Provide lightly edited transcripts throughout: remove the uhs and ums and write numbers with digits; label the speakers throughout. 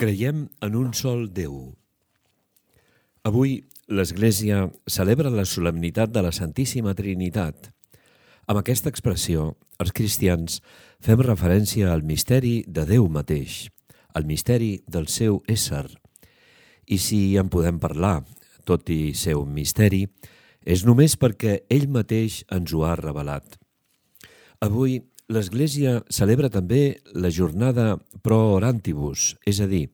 Speaker 1: Creiem en un sol Déu. Avui l'Església celebra la solemnitat de la Santíssima Trinitat. Amb aquesta expressió, els cristians fem referència al misteri de Déu mateix, al misteri del seu ésser. I si en podem parlar, tot i ser un misteri, és només perquè ell mateix ens ho ha revelat. Avui l'Església celebra també la jornada pro orantibus, és a dir,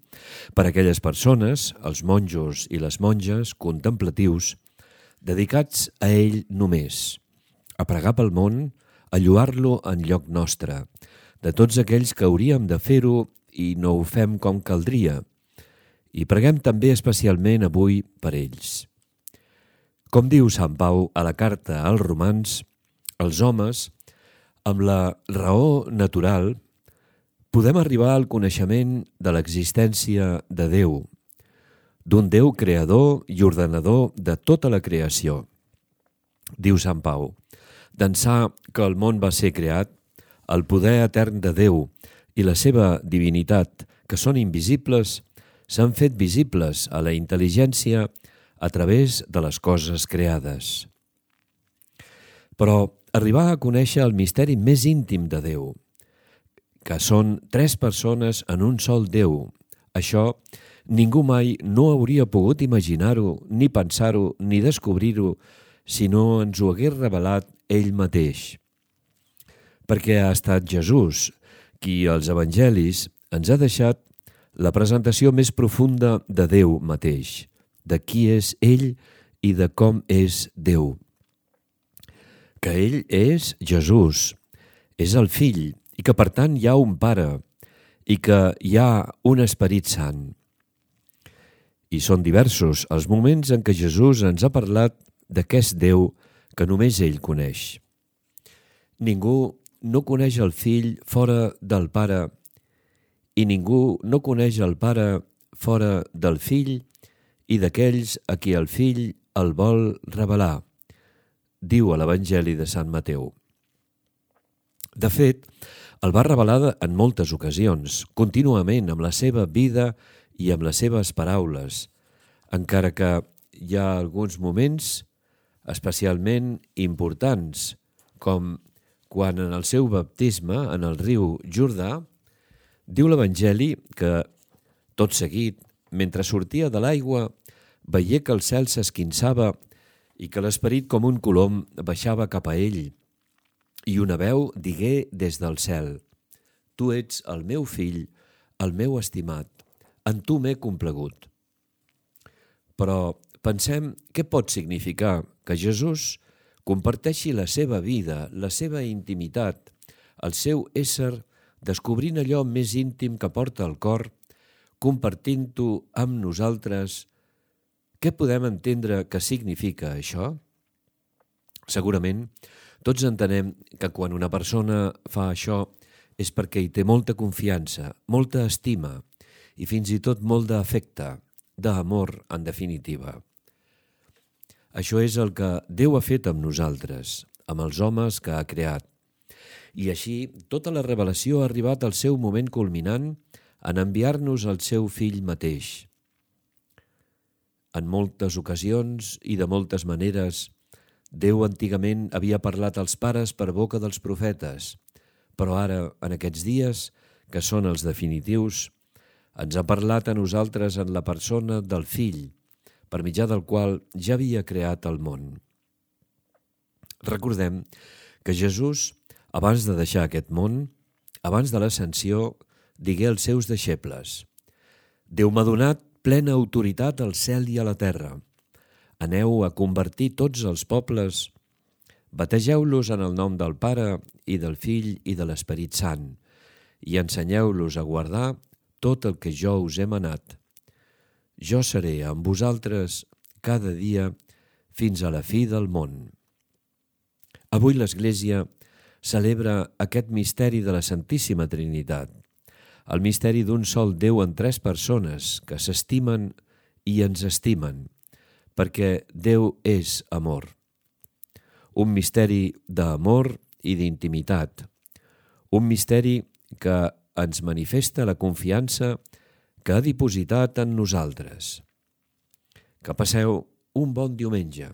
Speaker 1: per a aquelles persones, els monjos i les monges contemplatius, dedicats a ell només, a pregar pel món, a lloar-lo en lloc nostre, de tots aquells que hauríem de fer-ho i no ho fem com caldria, i preguem també especialment avui per ells. Com diu Sant Pau a la carta als Romans, els homes, amb la raó natural, podem arribar al coneixement de l'existència de Déu, d'un Déu creador i ordenador de tota la creació. Diu Sant Pau, d'ençà que el món va ser creat, el poder etern de Déu i la seva divinitat, que són invisibles, s'han fet visibles a la intel·ligència a través de les coses creades. Però arribar a conèixer el misteri més íntim de Déu, que són tres persones en un sol Déu. Això ningú mai no hauria pogut imaginar-ho, ni pensar-ho, ni descobrir-ho, si no ens ho hagués revelat ell mateix. Perquè ha estat Jesús qui als evangelis ens ha deixat la presentació més profunda de Déu mateix, de qui és ell i de com és Déu. Que ell és Jesús, és el Fill, i que per tant hi ha un Pare, i que hi ha un Esperit Sant. I són diversos els moments en què Jesús ens ha parlat d'aquest Déu que només ell coneix. Ningú no coneix el Fill fora del Pare, i ningú no coneix el Pare fora del Fill i d'aquells a qui el Fill el vol revelar, diu a l'Evangeli de Sant Mateu. De fet, el va revelar en moltes ocasions, contínuament amb la seva vida i amb les seves paraules, encara que hi ha alguns moments especialment importants, com quan en el seu baptisme en el riu Jordà, diu l'Evangeli que, tot seguit, mentre sortia de l'aigua, veié que el cel s'esquinçava i que l'esperit com un colom baixava cap a ell, i una veu digué des del cel: «Tu ets el meu fill, el meu estimat, en tu m'he complagut». Però pensem què pot significar que Jesús comparteixi la seva vida, la seva intimitat, el seu ésser, descobrint allò més íntim que porta al cor, compartint-ho amb nosaltres. Què podem entendre que significa això? Segurament, tots entenem que quan una persona fa això és perquè hi té molta confiança, molta estima i fins i tot molt d'afecte, d'amor, en definitiva. Això és el que Déu ha fet amb nosaltres, amb els homes que ha creat. I així, tota la revelació ha arribat al seu moment culminant en enviar-nos el seu Fill mateix. En moltes ocasions i de moltes maneres, Déu antigament havia parlat als pares per boca dels profetes, però ara, en aquests dies, que són els definitius, ens ha parlat a nosaltres en la persona del Fill, per mitjà del qual ja havia creat el món. Recordem que Jesús, abans de deixar aquest món, abans de l'ascensió, digué als seus deixebles: «Déu m'ha donat plena autoritat al cel i a la terra. Aneu a convertir tots els pobles, bategeu-los en el nom del Pare i del Fill i de l'Esperit Sant, i ensenyeu-los a guardar tot el que jo us he manat. Jo seré amb vosaltres cada dia fins a la fi del món». Avui l'Església celebra aquest misteri de la Santíssima Trinitat, el misteri d'un sol Déu en tres persones que s'estimen i ens estimen, perquè Déu és amor. Un misteri d'amor i d'intimitat, un misteri que ens manifesta la confiança que ha dipositat en nosaltres. Que passeu un bon diumenge.